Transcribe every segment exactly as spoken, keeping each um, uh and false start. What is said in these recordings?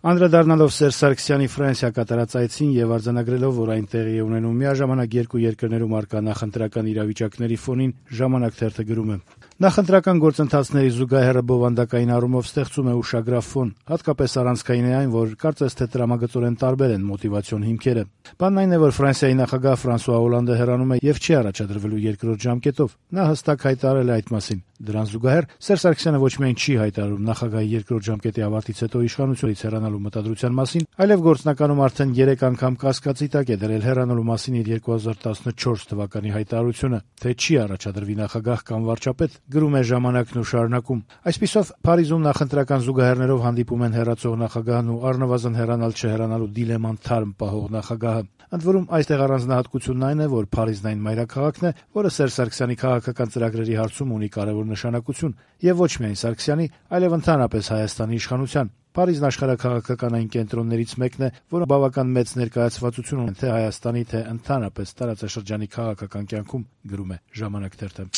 Անդրադառնալով Սերժ Սարգսյանի Ֆրանսիա կատարած այցին եւ արձանագրելով, որ այն տեղի է ունենում միաժամանակ երկու երկրներում առկա նախընտրական իրավիճակների ֆոնին, «Ժամանակ» թերթը գրում է. Նախընտրական գործընթացների զուգահեռը բովանդակային առումով ստեղծում է ուշագրավ ֆոն, հատկապես առանցքային է այն, որ կարծես թե տրամագծորեն տարբեր են մոտիվացիոն հիմքերը։ Բանն այն է, որ Ֆրանսիայի նախագահ Ֆրանսուଆ Օլանդը հեռանում է եւ չի առաջադրվելու երկրորդ ժամկետով։ Նա հստակ հայտարարել է այդ մասին։ Դրան զուգահեռ Սերժ Սարգսյանը ոչ միայն չի հայտարարում նախագահի երկրորդ ժամկետի ավարտից հետո իշխանությունից հեռանալու մտադրության մասին, այլև գործնականում արդեն երեք անգամ կասկածի տակ է դրել հեռանալու մասին իր երկու հազար տասնչորս թվականի հայտարարությունը, թե չի առաջադրվի նախագահ կամ վարչապետ, գրում է «Ժամանակն» ու շարունակում. Այսպիսով Փարիզում նախընտրական զուգահեռներով հանդիպում են հեռացող նախագահն ու առնվազն հեռանալ չհեռանալու դիլեման թարմ պահող նախագահը։ Ընդ որում այստեղ առանձնահատկությունն այն է, որ Փարիզն այն մայրաքաղաքն է, որը Սերժ Սարգսյանի քաղաքական ծրագրերի հարցում ունի կարևոր նշանակություն, եւ ոչ միայն Սարգսյանի, այլև ընդհանրապես Հայաստանի իշխանության։ Փարիզն աշխարհաքաղաքական այն կենտրոններից մեկն է, որը բավական մեծ ներկայացվածություն ունի թե Հայաստանի, թե ընդհանրապես տարածաշրջանի քաղաքական կյանքում, գրում է «Ժամանակ» թերթը։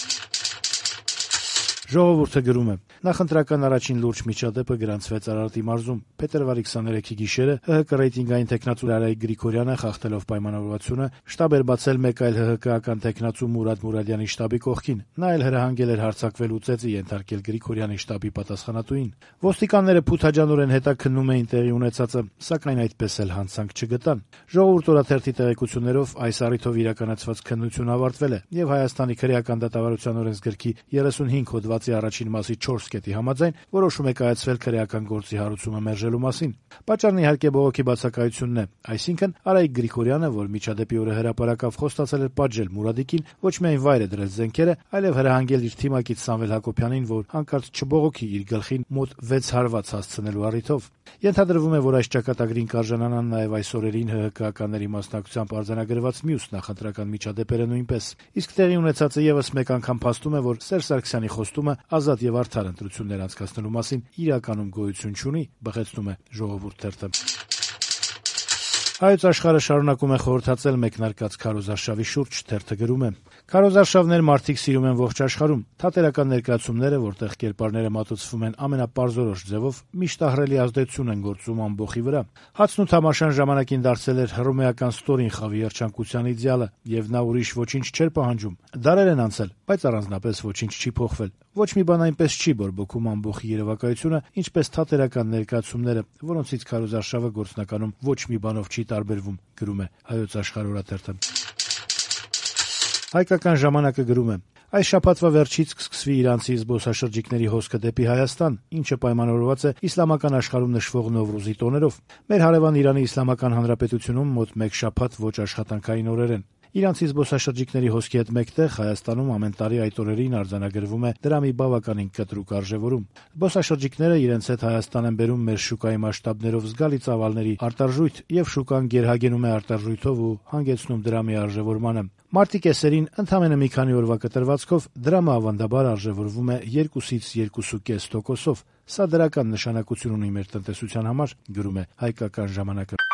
Ժողովուրդը գրում է. նախընտրական առաջին լուրջ միջադեպը գրանցվեց Արարատի մարզում։ Փետրվարի քսաներեքի գիշերը ՀՀԿ ռեյտինգային թեկնածու Լարայիկ Գրիգորյանը, խախտելով պայմանավորվածությունը, շտաբ էր բացել մեկ այլ ՀՀԿ-ական թեկնածու Մուրադ Մուրադյանի շտաբի կողքին։ Նա էլ հրահանգել էր հարձակվելու ծեծի ենթարկել Գրիգորյանի շտաբի պատասխանատուին։ Ոստիկանները փութաջանորեն հետաքննում էին տեղի ունեցածը, սակայն այդպես էլ հանցանք չգտան։ Ժողովուրդ օրաթերթի տեղեկություններով այս առիթով իրականացված քննությունը ավարտվել է եւ Հայաստանի քրեական դատավարության օրենսգրքի երեսունհինգ հոդվածի առաջին մասի չորս կետի համաձայն որոշում է կայացվել քրեական գործի հարուցումը մերժելու մասին։ Պատճառն իհարկե բողոքի բացակայությունն է, այսինքն Արայիկ Գրիգորյանը, որ միջադեպի օրը հրապարակավ խոստացել էր պատժել Մուրադիկին, ոչ միայն վայր է դրել զենքերը, այլև հրահանգել իր թիմակից Սամվել Հակոբյանին, որ հանկարծ չբողոքի իր գլխին մոտ վեց հարված հասցնելու առիթով։ Ենթադրվում է, որ այս ճակատագրին կարժանանան նաև այս օրերին ՀՀԿ-ականների մասնակցությամբ արձանագրված մյուս նախընտրական միջադեպերը նույնպես։ Իսկ տեղի ունեցածը եւս մեկ անգամ փաստում է, որ Սերժ Սարգսյանի խոստումը ազատ եւ արդար ընտրություններ անցկացնելու մասին իրականում գոյություն չունի, բխեցնում է «Ժողովուրդ» թերթը։ Հայոց աշխարհը շարունակում է խորհրդածել մեկնարկած քարոզարշավի շուրջ, թերթը գրում է. Քարոզարշավներ մարդիկ սիրում են ողջ աշխարհում։ Թատերական ներկայացումները, որտեղ կերպարները մատուցվում են ամենապարզորոշ ձևով, միշտ ահռելի ազդեցություն են գործում ամբոխի վրա։ Հացն ու թամաշան ժամանակին դարձել էր հռոմեական ստորին խավի երջանկության իդեալը, եւ նա ուրիշ ոչինչ չէր պահանջում։ Դարեր են անցել, բայց առանձնապես ոչինչ չի փոխվել։ Ոչ մի բան այնպես չի բորբոքում ամբոխի երևակայությունը, ինչպես թատերական ներկայացումները, որոնցից քարոզարշավը գործնականում ոչ մի բանով չի տարբերվում, գրում է Հայոց աշխարհ օրաթերթը։ Հայկական ժամանակը գրում է. այս շաբաթվա վերջից կսկսվի իրանցի զբոսաշրջիկների հոսքը դեպի Հայաստան, ինչը պայմանավորված է իսլամական աշխարհում նշվող Նովրուզի տոներով։ Մեր հարևան Իրանի Իսլամական Հանրապետությունում մոտ մեկ շաբաթ ոչ աշխատանքային օրեր են։ Իրանցի զբոսաշրջիկների հոսքի հետ մեկտեղ Հայաստանում ամեն տարի այդ օրերին արձանագրվում է դրամի բավականին կտրուկ արժեվորում։ Զբոսաշրջիկները իրենց հետ Հայաստան են բերում մեր շուկայի մասշտաբներով զգալի ծավալների արտարժույթ եւ շուկան գերհագենում է արտարժույթով ու հանգեցնում դրամի արժեվորմանը։ Մարտի կեսերին ընդամենը մի քանի օրվա կտրվածքով դրամը ավանդաբար արժեվորվում է երկուսից երկու կես տոկոսով։ Սա դրական նշանակություն ունի մեր տնտեսության համար, գրում է Հայկական ժամանակը։